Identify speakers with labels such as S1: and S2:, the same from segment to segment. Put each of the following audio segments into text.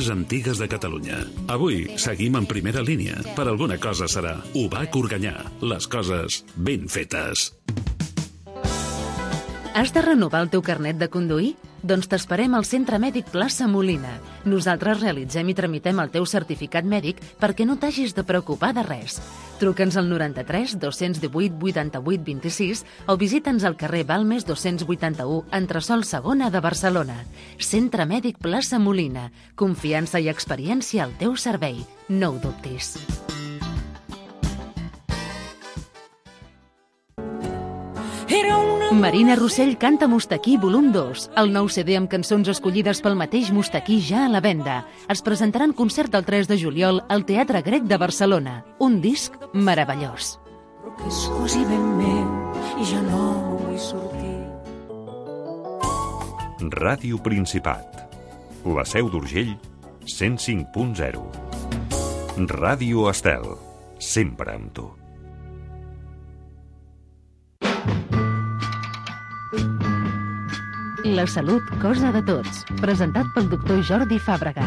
S1: més antigues de Catalunya. Avui seguim en primera línia. Per alguna cosa serà. UBAC Organyà. Les coses ben fetes.
S2: Has de renovar el teu carnet de conduir? Doncs t'esperem al Centre Mèdic Plaça Molina. Nosaltres realitzem i tramitem el teu certificat mèdic perquè no t'hagis de preocupar de res. Truca'ns al 93 218 88 26 o visita'ns al carrer Balmes 281, entresòl segona de Barcelona. Centre Mèdic Plaça Molina. Confiança i experiència al teu servei. No ho dubtis. Marina Rossell canta Mustaquí volum 2, el nou CD amb cançons escollides pel mateix Mustaquí ja a la venda. Es presentarà en concert el 3 de juliol al Teatre Grec de Barcelona. Un disc meravellós.
S3: Però que és cosí ben meu i ja no vull sortir.
S4: Ràdio Principat. La Seu d'Urgell, 105.0. Ràdio Estel, sempre amb tu.
S2: La salut, cosa de tots. Presentat pel doctor Jordi Fàbrega.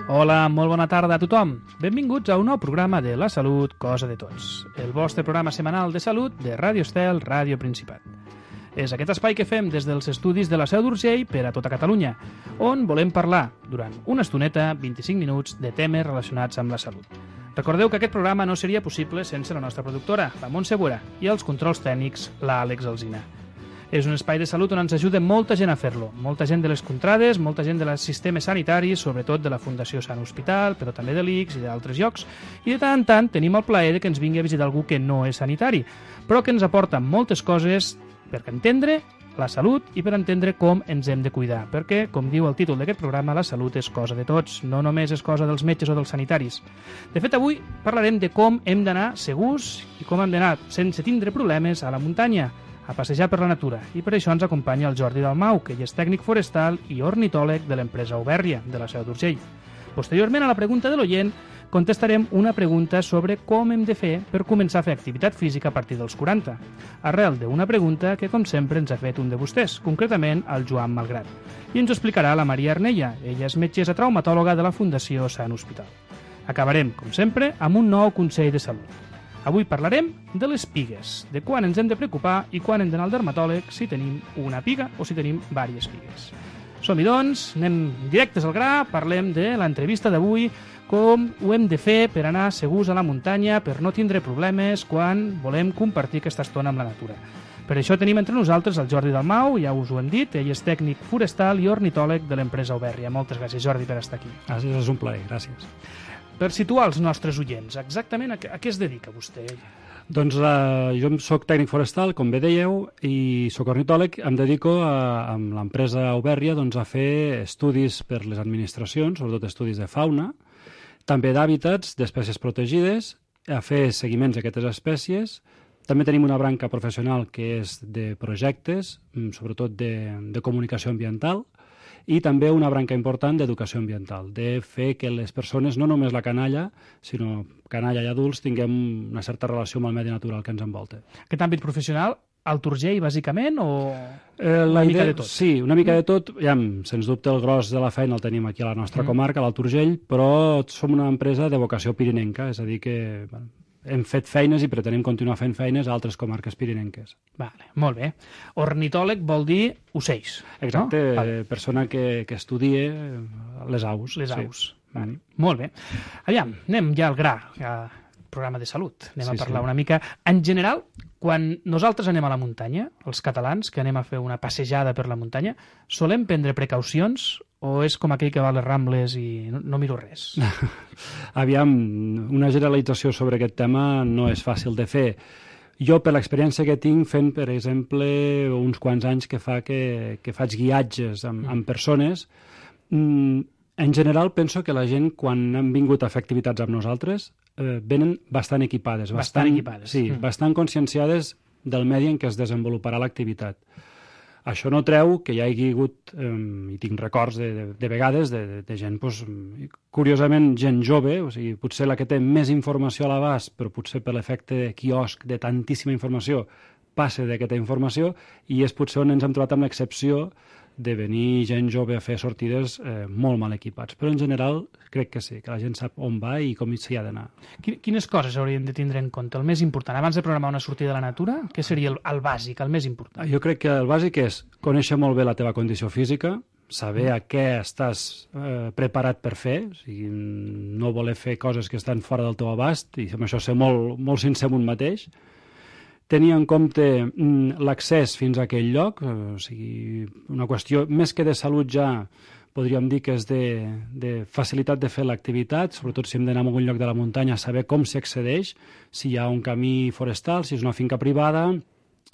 S5: Hola, molt bona tarda a tothom. Benvinguts a un nou programa de La salut, cosa de tots. El vostre programa setmanal de salut de Ràdio Estel, Ràdio Principat. És aquest espai que fem des dels estudis de la Seu d'Urgell per a tota Catalunya, on volem parlar, durant una estoneta, 25 minuts, de temes relacionats amb la salut. Recordeu que aquest programa no seria possible sense la nostra productora, la Montse Bura, i els controls tècnics, l'Àlex Alsina. És un espai de salut on ens ajuda molta gent a fer-lo. Molta gent de les contrades, molta gent dels sistemes sanitaris, sobretot de la Fundació Sant Hospital, però també de l'ICS i d'altres llocs. I de tant en tant tenim el plaer que ens vingui a visitar algú que no és sanitari, però que ens aporta moltes coses per entendre la salut i per entendre com ens hem de cuidar. Perquè, com diu el títol d'aquest programa, la salut és cosa de tots, no només és cosa dels metges o dels sanitaris. De fet, avui parlarem de com hem d'anar segurs i com hem d'anar sense tindre problemes a la muntanya, a passejar per la natura. I per això ens acompanya el Jordi Dalmau, que ell és tècnic forestal i ornitòleg de l'empresa Aubèrria, de la Seu d'Urgell. Posteriorment, a la pregunta de l'oient, contestarem una pregunta sobre com hem de fer per començar a fer activitat física a partir dels 40, arrel d'una pregunta que, com sempre, ens ha fet un de vostès, concretament el Joan Malgrat. I ens ho explicarà la Maria Arnella. Ella és metgessa traumatòloga de la Fundació Sant Hospital. Acabarem, com sempre, amb un nou consell de salut. Avui parlarem de les pigues, de quan ens hem de preocupar i quan hem d'anar al dermatòleg si tenim una piga o si tenim diverses pigues. Som-hi, doncs, anem directes al gra, parlem de l'entrevista d'avui, com ho hem de fer per anar segurs a la muntanya, per no tindre problemes quan volem compartir aquesta estona amb la natura. Per això tenim entre nosaltres el Jordi Dalmau, ja us ho hem dit, ell és tècnic forestal i ornitòleg de l'empresa Aubèrria. Moltes gràcies, Jordi, per estar aquí.
S6: Gràcies, és un plaer, gràcies.
S5: Per situar els nostres oients, exactament a què es dedica vostè?
S6: Doncs jo soc tècnic forestal, com bé dèieu, i soc ornitòleg. Em dedico amb l'empresa Aubèrria a fer estudis per les administracions, sobretot estudis de fauna, també d'hàbitats, d'espècies protegides, a fer seguiments d'aquestes espècies. També tenim una branca professional que és de projectes, sobretot de comunicació ambiental, i també una branca important d'educació ambiental, de fer que les persones, no només la canalla, sinó canalla i adults, tinguem una certa relació amb el medi natural que ens envolta.
S5: Aquest àmbit professional, al Turgell, bàsicament, o una mica de tot?
S6: Sí, una mica de tot. Ja, sens dubte, el gros de la feina el tenim aquí a la nostra comarca, a l'Alt Urgell, però som una empresa de vocació pirinenca, és a dir que hem fet feines i pretenem continuar fent feines a altres comarques pirinenques.
S5: Vale, molt bé. Ornitòleg vol dir ocells.
S6: Exacte,
S5: no?
S6: Persona que estudie les aus.
S5: Les aus. Vale. Molt bé. Aviam, anem ja al gra, programa de salut. Anem a parlar una mica. En general, quan nosaltres anem a la muntanya, els catalans, que anem a fer una passejada per la muntanya, solem prendre precaucions o és com aquell que va a les Rambles i no miro res?
S6: Aviam, una generalització sobre aquest tema no és fàcil de fer. Jo, per l'experiència que tinc fent, per exemple, uns quants anys que faig guiatges amb persones, en general penso que la gent, quan han vingut a fer activitats amb nosaltres, venen bastant equipades.
S5: Bastant equipades.
S6: Sí, bastant conscienciades del medi en què es desenvoluparà l'activitat. Això no treu que hi hagi hagut, i tinc records de vegades, de gent, curiosament, gent jove, o sigui, potser la que té més informació a l'abast, però potser per l'efecte de quiosc, de tantíssima informació, passa d'aquesta informació, i és potser on ens hem trobat amb l'excepció de venir gent jove a fer sortides molt mal equipats. Però en general crec que sí, que la gent sap on va i com s'hi ha d'anar.
S5: Quines coses hauríem de tindre en compte? El més important, abans de programar una sortida a la natura, què seria el bàsic, el més important?
S6: Jo crec que el bàsic és conèixer molt bé la teva condició física, saber a què estàs preparat per fer, o sigui, no voler fer coses que estan fora del teu abast, i amb això ser molt, molt sincer amb un mateix, tenir en compte l'accés fins a aquell lloc, o sigui, una qüestió més que de salut ja podríem dir que és de facilitat de fer l'activitat, sobretot si hem d'anar a algun lloc de la muntanya, saber com s'hi accedeix, si hi ha un camí forestal, si és una finca privada,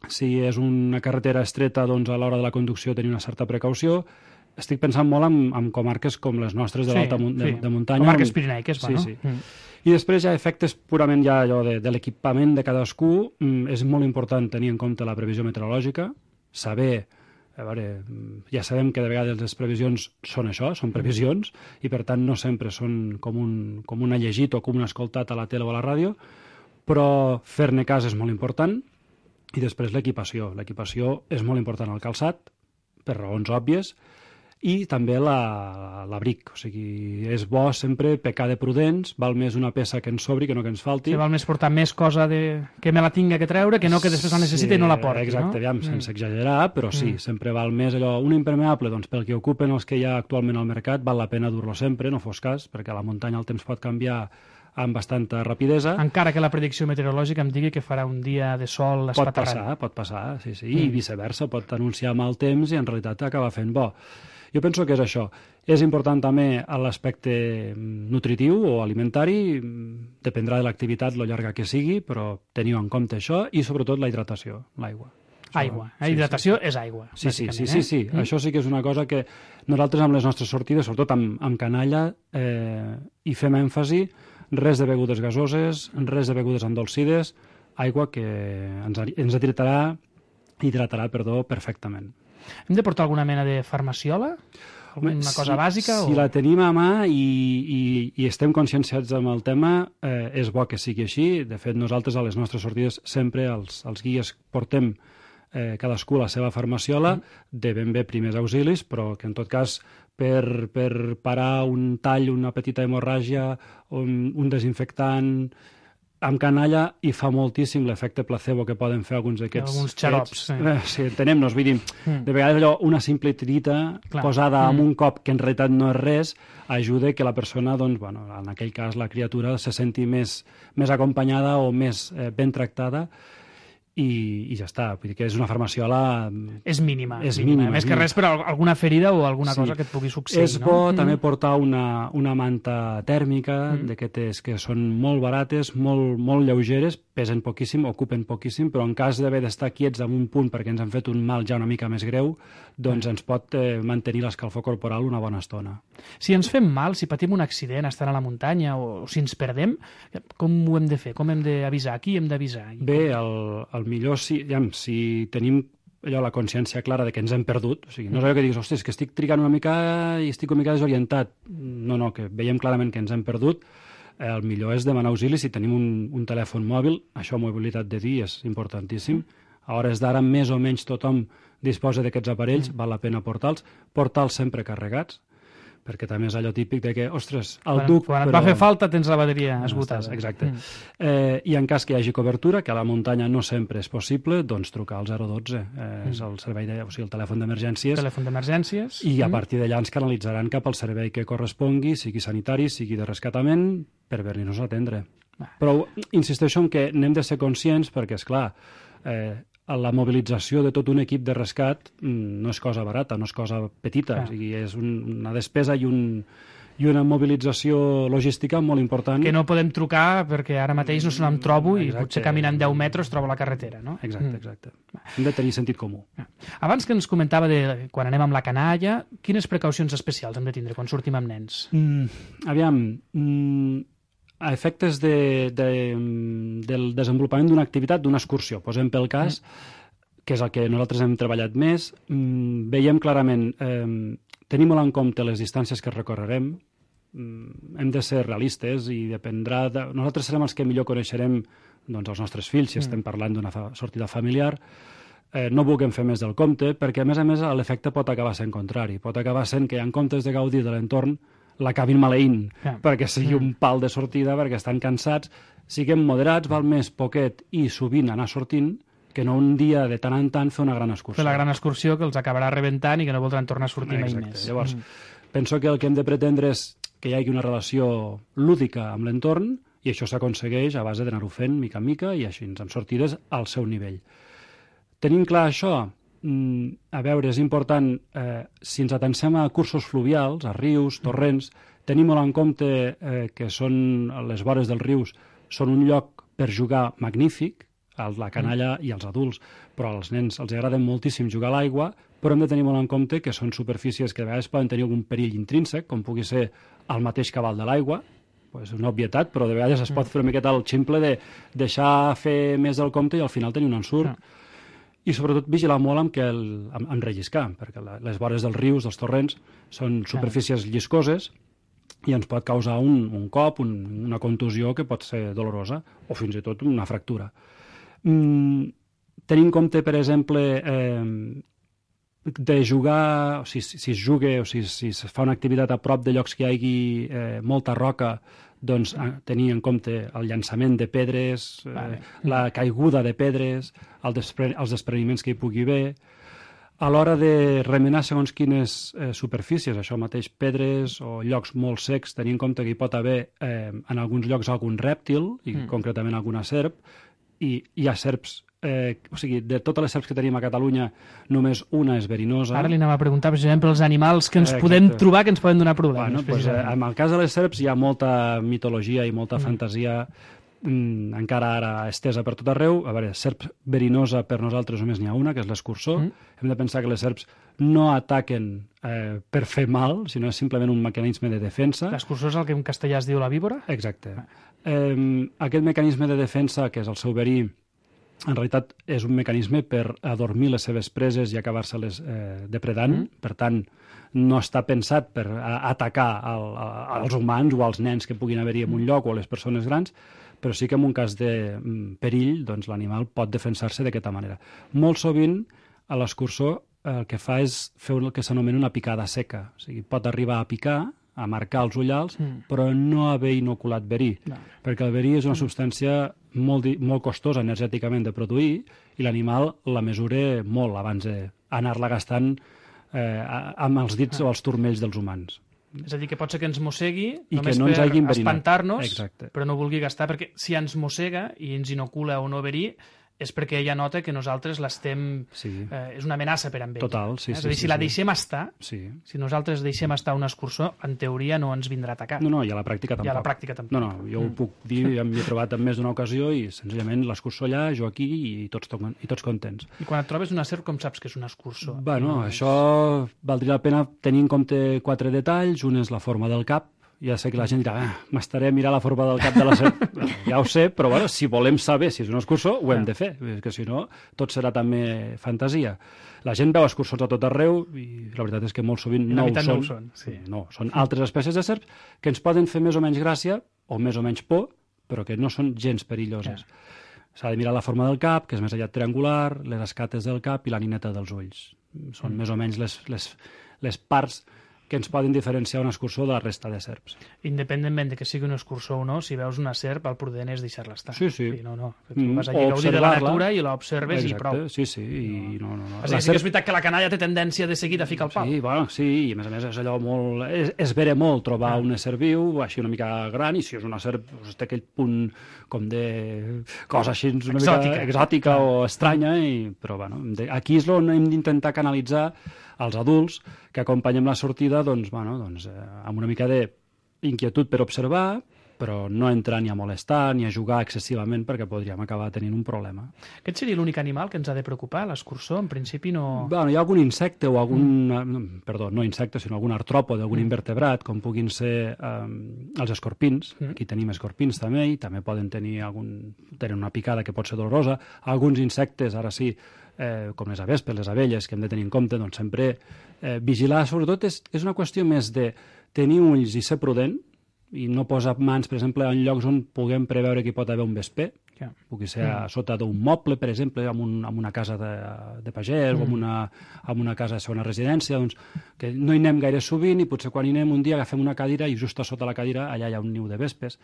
S6: si és una carretera estreta, doncs a l'hora de la conducció tenir una certa precaució. Estic pensant molt en comarques com les nostres de l'alta de muntanya.
S5: Comarques pirenaiques, bueno.
S6: Sí. I després hi ha efectes purament ja allò de l'equipament de cadascú. És molt important tenir en compte la previsió meteorològica, saber, a veure, ja sabem que de vegades les previsions són això, són previsions, i per tant no sempre són com un llegit o com un escoltat a la tele o a la ràdio, però fer-ne cas és molt important. I després l'equipació. L'equipació és molt important al calçat, per raons òbvies, i també l'abric. O sigui, és bo sempre pecar de prudents, val més una peça que ens sobri que no que ens falti.
S5: Sí, val més portar més cosa que me la tinga que treure que no que després la necessiti i no la porti,
S6: exacte,
S5: no?
S6: Sense exagerar, però sí, sempre val més allò. Un impermeable, doncs pel que ocupen els que hi ha actualment al mercat, val la pena dur-lo sempre, no fos cas, perquè a la muntanya el temps pot canviar amb bastanta rapidesa.
S5: Encara que la predicció meteorològica em digui que farà un dia de sol espaterrant.
S6: Pot passar, sí. I viceversa, pot anunciar mal temps i en realitat acaba fent bo. Jo penso que és això. És important també l'aspecte nutritiu o alimentari, dependrà de l'activitat, lo llarga que sigui, però teniu en compte això i sobretot la hidratació, l'aigua.
S5: Aigua. Hidratació és aigua.
S6: Sí. Això sí que és una cosa que nosaltres amb les nostres sortides, sobretot amb canalla, hi fem èmfasi, res de begudes gasoses, res de begudes endolcides, aigua que ens hidratarà perfectament.
S5: Hem de portar alguna mena de farmaciola? Alguna cosa bàsica?
S6: Si la tenim a mà i estem conscienciats amb el tema, és bo que sigui així. De fet, nosaltres a les nostres sortides sempre els guies portem cadascú la seva farmaciola de ben bé primers auxilis, però que en tot cas per parar un tall, una petita hemorràgia, un desinfectant amb canalla, hi fa moltíssim l'efecte placebo que poden fer alguns d'aquests...
S5: Alguns xarops.
S6: Sí, entenem-nos, vull dir, de vegades allò, una simple tirita posada amb un cop que en realitat no és res, ajuda que la persona, doncs, bueno, en aquell cas la criatura se senti més acompanyada o més ben tractada, i ja està. Vull dir que és una farmaciola...
S5: És mínima. Més que res per alguna ferida o alguna cosa que et pugui succeir.
S6: És bo també portar una manta tèrmica d'aquestes que són molt barates, molt lleugeres, pesen poquíssim, ocupen poquíssim, però en cas d'haver d'estar quiets en un punt perquè ens han fet un mal ja una mica més greu, doncs ens pot mantenir l'escalfor corporal una bona estona.
S5: Si ens fem mal, si patim un accident estant a la muntanya o si ens perdem, com ho hem de fer? Com hem d'avisar? A qui hem d'avisar?
S6: Bé, el millor si tenim allò, la consciència clara de que ens hem perdut, o sigui, no és allò que diguis, ostres, que estic trigant una mica i estic una mica desorientat. No, que veiem clarament que ens hem perdut. El millor és demanar auxili si tenim un telèfon mòbil. Això, mobilitat de dia, és importantíssim. A hores d'ara, més o menys tothom disposa d'aquests aparells, val la pena portar-los sempre carregats, perquè també és allò típic de que, ostres, el duc...
S5: Quan et va fer falta tens la bateria esgotada.
S6: Exacte. I en cas que hi hagi cobertura, que a la muntanya no sempre és possible, doncs trucar al 012. És el servei el telèfon d'emergències.
S5: Telèfon d'emergències.
S6: I a partir d'allà ens canalitzaran cap al servei que correspongui, sigui sanitari, sigui de rescatament, per venir-nos a atendre. Però insisteixo en que n'hem de ser conscients perquè, esclar, la mobilització de tot un equip de rescat no és cosa barata, no és cosa petita, o sigui, és una despesa i una mobilització logística molt important.
S5: Que no podem trucar perquè ara mateix no se n'en trobo i potser caminant 10 metres trobo la carretera, no?
S6: Exacte. Hem de tenir sentit comú.
S5: Abans que ens comentava de quan anem amb la canalla, quines precaucions especials hem de tindre quan sortim amb nens?
S6: A efectes del desenvolupament d'una activitat, d'una excursió, posem pel cas, que és el que nosaltres hem treballat més, veiem clarament, tenim molt en compte les distàncies que recorrerem, hem de ser realistes i dependrà nosaltres serem els que millor coneixerem doncs, els nostres fills, si estem parlant d'una sortida familiar. no vulguem fer més del compte, perquè a més l'efecte pot acabar sent contrari. Pot acabar sent que en comptes de gaudir de l'entorn l'acabin maleint, perquè sigui un pal de sortida, perquè estan cansats. Siguem moderats, val més poquet i sovint anar sortint, que no un dia de tant en tant fer una gran excursió.
S5: Fer la gran excursió que els acabarà rebentant i que no voldran tornar a sortir mai més.
S6: Llavors, penso que el que hem de pretendre és que hi hagi una relació lúdica amb l'entorn i això s'aconsegueix a base d'anar-ho fent mica en mica i així, amb sortides al seu nivell. Tenint clar això, a veure, és important, si ens atencem a cursos fluvials, a rius, torrents, tenim molt en compte que són les vores dels rius són un lloc per jugar magnífic, la canalla i els adults, però als nens els agrada moltíssim jugar a l'aigua, però hem de tenir molt en compte que són superfícies que a vegades poden tenir algun perill intrínsec, com pugui ser el mateix cabal de l'aigua, és una obvietat, però de vegades es pot fer una miqueta el ximple de deixar fer més del compte i al final tenir un ensurt. I sobretot vigilar molt amb relliscar, perquè les vores dels rius, dels torrents, són superfícies lliscoses i ens pot causar un cop, una contusió que pot ser dolorosa, o fins i tot una fractura. Tenir en compte, per exemple, de jugar, si es juga o si es fa una activitat a prop de llocs que hi hagi molta roca, doncs tenir en compte el llançament de pedres, la caiguda de pedres, els despreniments que hi pugui haver. A l'hora de remenar segons quines superfícies, això mateix, pedres o llocs molt secs, tenir en compte que hi pot haver en alguns llocs algun rèptil, i concretament alguna serp, i hi ha serps, o sigui, de totes les serps que tenim a Catalunya, només una és verinosa.
S5: Ara li anem a preguntar, precisament, pels animals que ens podem trobar que ens poden donar problemes.
S6: En el cas de les serps hi ha molta mitologia i molta fantasia encara ara estesa per tot arreu. A veure, serp verinosa per nosaltres només n'hi ha una, que és l'escurçó. Hem de pensar que les serps no ataquen per fer mal, sinó és simplement un mecanisme de defensa.
S5: L'escurçó és el que en castellà es diu la víbora?
S6: Exacte. Aquest mecanisme de defensa, que és el seu verí, en realitat és un mecanisme per adormir les seves preses i acabar-se-les depredant. Per tant, no està pensat per atacar als humans o als nens que puguin haver-hi en un lloc o a les persones grans, però sí que en un cas de perill, doncs l'animal pot defensar-se d'aquesta manera. Molt sovint, a l'escurçó, el que fa és fer el que s'anomena una picada seca. O sigui, pot arribar a picar, a marcar els ullals, però no haver inoculat verí, perquè el verí és una substància molt costosa energèticament de produir i l'animal la mesura molt abans d'anar-la gastant amb els dits o els turmells dels humans.
S5: És a dir, que pot ser que ens mossegui
S6: I
S5: només
S6: no
S5: per espantar-nos,
S6: exacte,
S5: però no vulgui gastar, perquè si ens mossega i ens inocula o no verí, és perquè ella nota que nosaltres l'estem... és una amenaça per amb ell.
S6: Total, sí.
S5: És a dir, si la deixem estar,
S6: si
S5: nosaltres deixem estar un escurçó, en teoria no ens vindrà a atacar.
S6: No, i a la pràctica tampoc.
S5: I a la pràctica tampoc.
S6: No, jo ho puc dir, m'hi he trobat en més d'una ocasió i senzillament l'escurçó allà, jo aquí i tots contents.
S5: I quan et trobes una serp, com saps que és un escurçó?
S6: Bueno, això valdria la pena tenir en compte 4 detalls. Un és la forma del cap. Ja sé que la gent dirà, m'estaré a mirar la forma del cap de la serp. Ja ho sé, però bueno, si volem saber si és un escurçó, ho hem de fer, perquè si no, tot serà també fantasia. La gent veu escurçons a tot arreu i la veritat és que molt sovint no ho són. No, són altres espècies de serps que ens poden fer més o menys gràcia o més o menys por, però que no són gens perilloses. S'ha de mirar la forma del cap, que és més aviat triangular, les escates del cap i la nineta dels ulls. Són més o menys les parts que ens poden diferenciar un escurçó de la resta de serps.
S5: Independentment de que sigui un escurçó o no, si veus una serp, el prudent és deixar-la estar.
S6: Sí.
S5: No. Tu vas allà a gaudir de la natura i l'observes i prou.
S6: Sí. I no.
S5: És a dir, sí que és veritat que la canalla té tendència de seguida a ficar el pal.
S6: Sí, i a més és allò molt... És vera molt trobar un ésser viu, així una mica gran, i si és una serp, té aquell punt com de cosa així una mica exòtica o estranya, però bueno, aquí és on hem d'intentar canalitzar els adults que acompanyem la sortida amb una mica d'inquietud per observar, però no entrar ni a molestar ni a jugar excessivament perquè podríem acabar tenint un problema.
S5: Aquest seria l'únic animal que ens ha de preocupar, l'escurçó? En principi no...
S6: Bueno, hi ha algun insecte o algun... Perdó, no insecte, sinó algun artròpode, algun invertebrat, com puguin ser els escorpins. Aquí tenim escorpins també, i també poden tenir tenen una picada que pot ser dolorosa. Alguns insectes, ara sí, com les avespes, les abelles, que hem de tenir en compte, doncs sempre vigilar. Sobretot és una qüestió més de tenir ulls i ser prudent, i no posar mans, per exemple, en llocs on puguem preveure que hi pot haver un vesper. Pugui ser a sota d'un moble, per exemple, en una casa de pagès o en una casa de segona residència, doncs, que no hi anem gaire sovint i potser quan hi anem un dia agafem una cadira i just a sota la cadira allà hi ha un niu de vespes,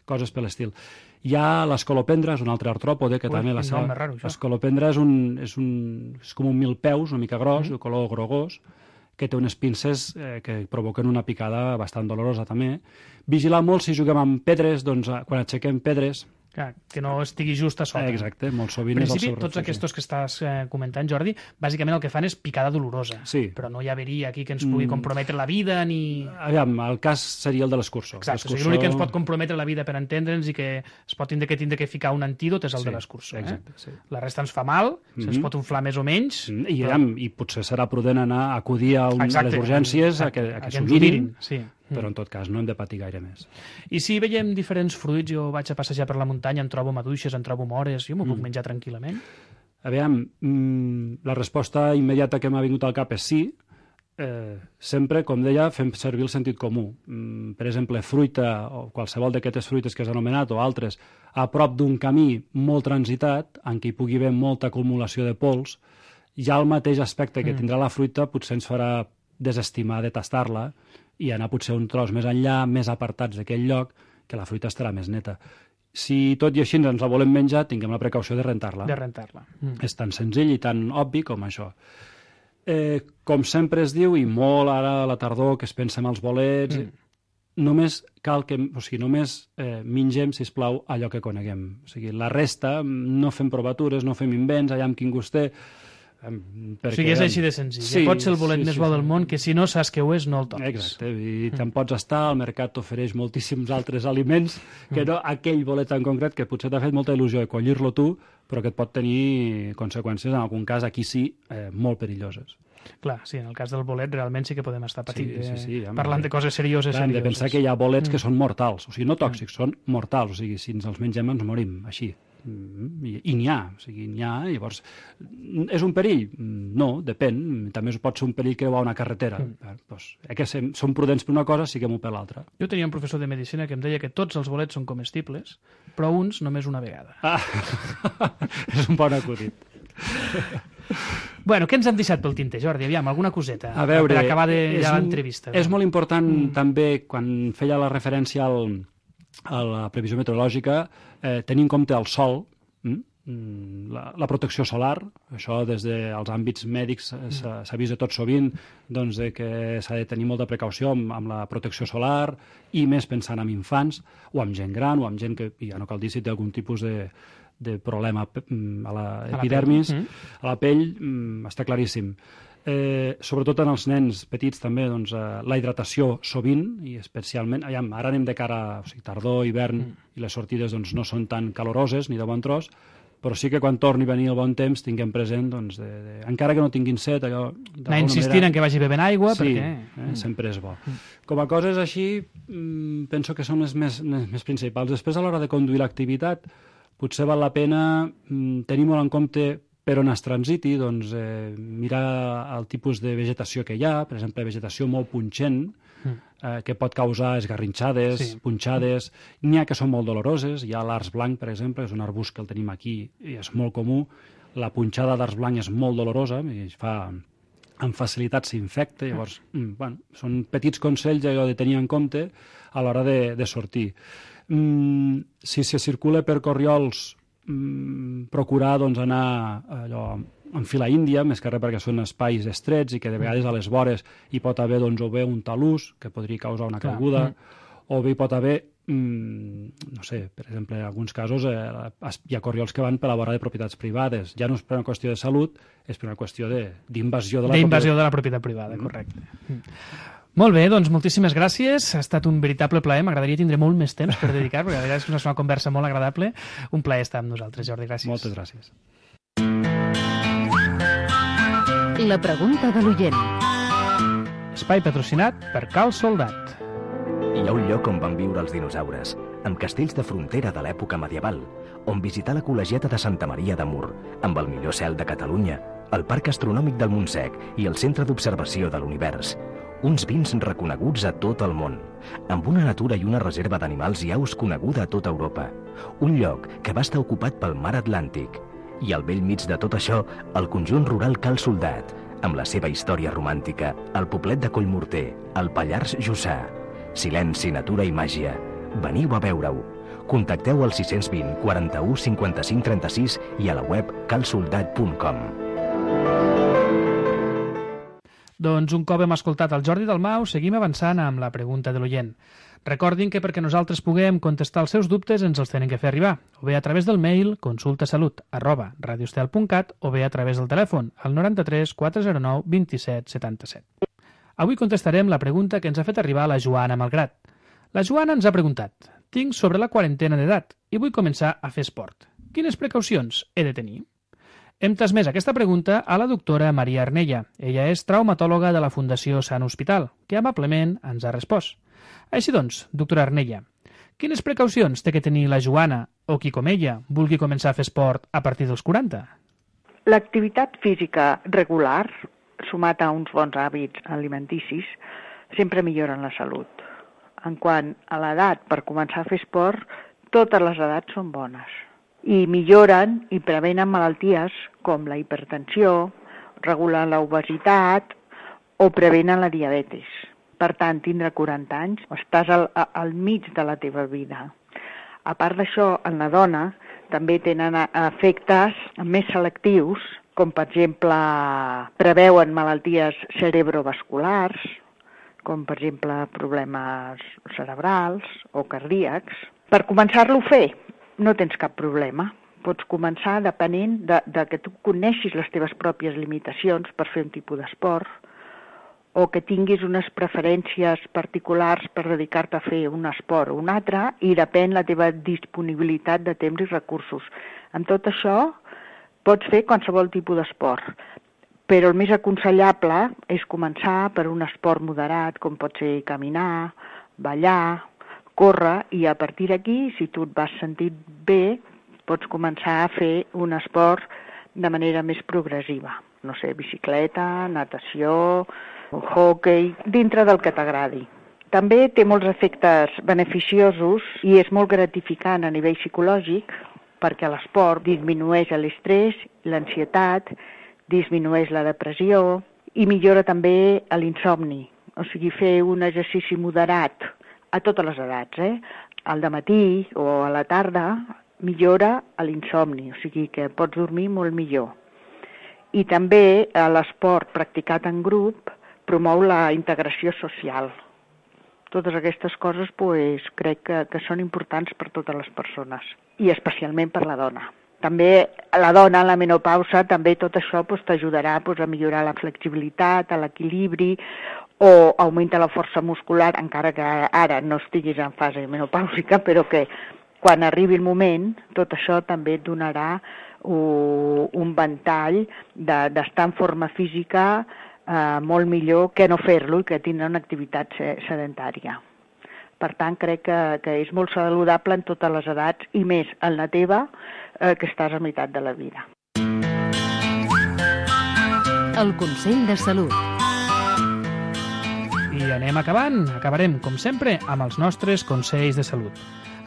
S6: coses per l'estil. Hi ha l'escolopendra, és un altre artròpode que també l'escolopendra és com un milpeus, una mica gros, de color grogós, que té unes pinces que provoquen una picada bastant dolorosa també. Vigilar molt si juguem amb pedres, doncs quan aixequem pedres,
S5: que no estigui just a sota.
S6: Exacte, molt sovint
S5: en
S6: és el
S5: principi,
S6: seu
S5: tots
S6: reflex.
S5: aquests que estàs comentant, Jordi, bàsicament el que fan és picada dolorosa.
S6: Sí.
S5: Però no hi hauria aquí que ens pugui comprometre la vida ni...
S6: Aviam, el cas seria el de l'escurçó.
S5: Exacte, o sigui, l'únic que ens pot comprometre la vida per entendre'ns i que es pot tindre que ficar un antídot és el de l'escurçó.
S6: Exacte, sí.
S5: La resta ens fa mal, se'ns pot inflar més o menys...
S6: I potser serà prudent acudir a les urgències a que s'ho mirin,
S5: sí.
S6: Però en tot cas no hem de patir gaire més.
S5: I si veiem diferents fruits, jo vaig a passejar per la muntanya, em trobo maduixes, em trobo mores, jo m'ho puc menjar tranquil·lament?
S6: Aviam, la resposta immediata que m'ha vingut al cap és sí. Sempre, com deia, fem servir el sentit comú. Per exemple, fruita o qualsevol d'aquestes fruites que has anomenat o altres a prop d'un camí molt transitat, en què hi pugui haver molta acumulació de pols, ja el mateix aspecte que tindrà la fruita potser ens farà desestimar de tastar-la i anar potser un tros més enllà, més apartats d'aquell lloc, que la fruita estarà més neta. Si tot i així ens la volem menjar, tinguem la precaució de rentar-la.
S5: De rentar-la.
S6: És tan senzill i tan obvi com això. Com sempre es diu, i molt ara a la tardor que es pensa en els bolets, només cal que, només mengem, sisplau, allò que coneguem. O sigui, la resta, no fem provatures, no fem invents, allà amb quin gust té.
S5: O sigui, és així de senzill. Sí, pot ser el bolet més bo del món, que si no saps què ho és, no el toques.
S6: Exacte, i te'n pots estar, el mercat t'ofereix moltíssims altres aliments, que no aquell bolet en concret, que potser t'ha fet molta il·lusió de collir-lo tu, però que et pot tenir conseqüències, en algun cas, aquí sí, molt perilloses.
S5: Clar, sí, en el cas del bolet realment sí que podem estar patint, parlant de coses
S6: Clar,
S5: serioses.
S6: hem de pensar que hi ha bolets que són mortals, o sigui, no tòxics, són mortals, o sigui, si ens els mengem ens morim, així. I n'hi ha, o sigui, n'hi ha, llavors, és un perill? No, depèn, també pot ser un perill creuar una carretera. Doncs, que som prudents per una cosa, siguem-ho per l'altra.
S5: Jo tenia un professor de medicina que em deia que tots els bolets són comestibles, però uns només una vegada.
S6: És un bon acudit.
S5: Bueno, què ens han deixat pel tinter, Jordi? Aviam, alguna coseta
S6: a veure,
S5: per acabar l'entrevista.
S6: És molt important també, quan feia la referència a la previsió meteorològica, tenir en compte el sol, la protecció solar, això des dels àmbits mèdics s'ha vist de tot sovint, doncs que s'ha de tenir molta precaució amb la protecció solar i més pensant en infants o amb gent gran o amb gent que ja no cal dir si té algun tipus de problema a l'epidermis, a la pell, està claríssim. Sobretot en els nens petits també, doncs, la hidratació sovint, i especialment, ara anem de cara a tardor, hivern, i les sortides doncs, no són tan caloroses ni de bon tros, però sí que quan torni a venir el bon temps tinguem present, doncs, encara que no tinguin set, allò...
S5: Anar insistint en que vagi bevent aigua,
S6: sí,
S5: perquè...
S6: sempre és bo. Com a coses així, penso que són les més principals. Després, a l'hora de conduir l'activitat, potser val la pena tenir molt en compte per on es transiti, doncs, mirar el tipus de vegetació que hi ha, per exemple, vegetació molt punxent, que pot causar esgarrinxades, punxades. N'hi ha que són molt doloroses. Hi ha l'arç blanc, per exemple, és un arbust que el tenim aquí i és molt comú. La punxada d'arç blanc és molt dolorosa i amb facilitat s'infecta. Llavors, són petits consells allò de tenir en compte a l'hora de sortir. Si se circula per corriols, procurar doncs, anar en fila índia, més que res perquè són espais estrets i que de vegades a les vores hi pot haver doncs, o bé un talús que podria causar una caiguda, o bé hi pot haver, no sé, per exemple, en alguns casos hi ha corriols que van per la vora de propietats privades. Ja no és per una qüestió de salut, és per una qüestió d'invasió de
S5: la propietat privada, correcte. Molt bé, doncs moltíssimes gràcies. Ha estat un veritable plaer. M'agradaria tindre molt més temps per dedicar, perquè la veritat és que és una conversa molt agradable. Un plaer estar amb nosaltres, Jordi. Gràcies.
S6: Moltes gràcies.
S2: La pregunta de l'oient.
S5: Espai patrocinat per Cal Soldat.
S7: Hi ha un lloc on van viure els dinosaures, amb castells de frontera de l'època medieval, on visitar la col·legiata de Santa Maria de Mur, amb el millor cel de Catalunya, el Parc Astronòmic del Montsec i el Centre d'Observació de l'Univers. uns vins reconeguts a tot el món, amb una natura i una reserva d'animals i aus coneguda a tota Europa, un lloc que va estar ocupat pel mar Atlàntic, i al bell mig de tot això, el conjunt rural Cal Soldat, amb la seva història romàntica, el poblet de Collmorter, el Pallars Jussà. Silenci, natura i màgia. Veniu a veure-ho. Contacteu al 620 41 55 36 i a la web calsoldat.com.
S5: Doncs un cop hem escoltat el Jordi Dalmau, seguim avançant amb la pregunta de l'oient. Recordin que perquè nosaltres puguem contestar els seus dubtes ens els tenen que fer arribar, o bé a través del mail consultasalut@radioestel.cat o bé a través del telèfon al 93 409 27 77. Avui contestarem la pregunta que ens ha fet arribar la Joana Malgrat. La Joana ens ha preguntat: tinc sobre la quarantena d'edat i vull començar a fer esport. Quines precaucions he de tenir? Hem transmès aquesta pregunta a la doctora Maria Arnella. Ella és traumatòloga de la Fundació Sant Hospital, que amablement ens ha respost. Així doncs, doctora Arnella, quines precaucions té que tenir la Joana o qui com ella vulgui començar a fer esport a partir dels 40?
S8: L'activitat física regular, sumat a uns bons hàbits alimenticis, sempre milloren la salut. En quant a l'edat per començar a fer esport, totes les edats són bones i milloren i prevenen malalties com la hipertensió, regulen l'obesitat o prevenen la diabetis. Per tant, tindre 40 anys, estàs al mig de la teva vida. A part d'això, en la dona també tenen efectes més selectius, com per exemple preveuen malalties cerebrovasculars, com per exemple problemes cerebrals o cardíacs. Per començar-lo a fer, no tens cap problema. Pots començar depenent de que tu coneixis les teves pròpies limitacions per fer un tipus d'esport o que tinguis unes preferències particulars per dedicar-te a fer un esport o un altre i depèn la teva disponibilitat de temps i recursos. Amb tot això pots fer qualsevol tipus d'esport, però el més aconsellable és començar per un esport moderat com pot ser caminar, ballar, córrer i a partir d'aquí, si tu et vas sentir bé, pots començar a fer un esport de manera més progressiva. No sé, bicicleta, natació, hockey, dintre del que t'agradi. També té molts efectes beneficiosos i és molt gratificant a nivell psicològic perquè l'esport disminueix l'estrès, l'ansietat, disminueix la depressió i millora també l'insomni. O sigui, fer un exercici moderat a totes les edats, al dematí o a la tarda, millora l'insomni, o sigui que pots dormir molt millor. I també l'esport practicat en grup promou la integració social. Totes aquestes coses crec que són importants per totes les persones, i especialment per la dona. També la dona, la menopausa, també tot això t'ajudarà a millorar la flexibilitat, l'equilibri, o augmenta la força muscular, encara que ara no estiguis en fase menopàusica, però que quan arribi el moment, tot això també et donarà un ventall d'estar en forma física molt millor que no fer-lo i que tindre una activitat sedentària. Per tant, crec que és molt saludable en totes les edats i més en la teva, que estàs a meitat de la vida.
S2: El Consell de Salut.
S5: I anem acabant. Acabarem, com sempre, amb els nostres consells de salut.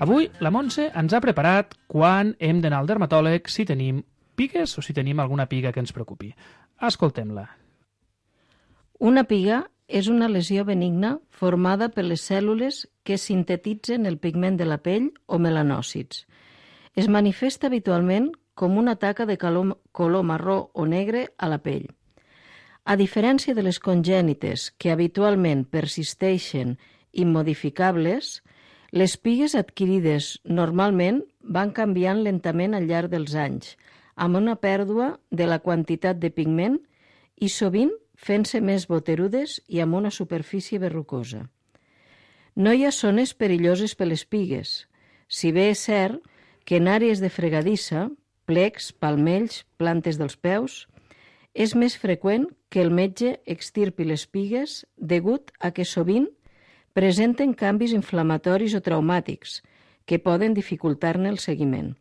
S5: Avui la Montse ens ha preparat quan hem d'anar al dermatòleg, si tenim pigues o si tenim alguna piga que ens preocupi. Escoltem-la.
S9: Una piga és una lesió benigna formada per les cèl·lules que sintetitzen el pigment de la pell o melanòcits. Es manifesta habitualment com una taca de color marró o negre a la pell. A diferència de les congènites, que habitualment persisteixen immodificables, les pigues adquirides normalment van canviant lentament al llarg dels anys, amb una pèrdua de la quantitat de pigment i sovint fent-se més boterudes i amb una superfície verrucosa. No hi ha zones perilloses per les pigues, si bé és cert que en àrees de fregadissa, plecs, palmells, plantes dels peus, és més freqüent que el metge extirpi les pigues degut a que sovint presenten canvis inflamatoris o traumàtics que poden dificultar-ne el seguiment.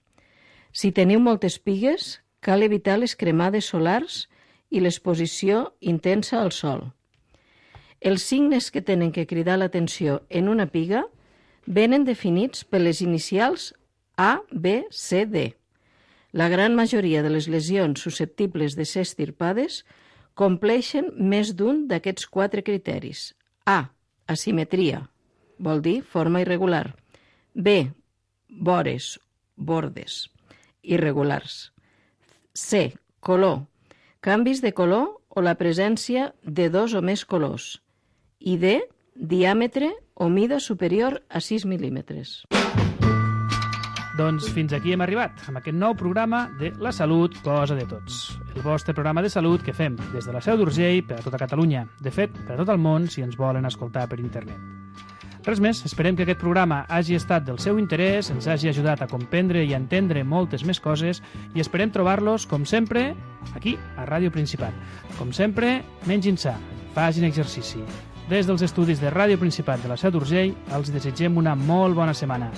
S9: Si teniu moltes pigues, cal evitar les cremades solars i l'exposició intensa al sol. Els signes que tenen que cridar l'atenció en una piga venen definits per les inicials A, B, C, D. La gran majoria de les lesions susceptibles de ser estirpades compleixen més d'un d'aquests 4 criteris. A, asimetria, vol dir forma irregular. B, vores, bordes, irregulars. C, color, canvis de color o la presència de 2 o més colors. I D, diàmetre o mida superior a 6 mil·límetres.
S5: Doncs fins aquí hem arribat, amb aquest nou programa de La Salut, cosa de tots. El vostre programa de salut que fem des de la Seu d'Urgell per a tota Catalunya. De fet, per a tot el món, si ens volen escoltar per internet. Res més, esperem que aquest programa hagi estat del seu interès, ens hagi ajudat a comprendre i a entendre moltes més coses i esperem trobar-los, com sempre, aquí, a Ràdio Principat. Com sempre, mengin sa, facin exercici. Des dels estudis de Ràdio Principat de la Seu d'Urgell, els desitgem una molt bona setmana.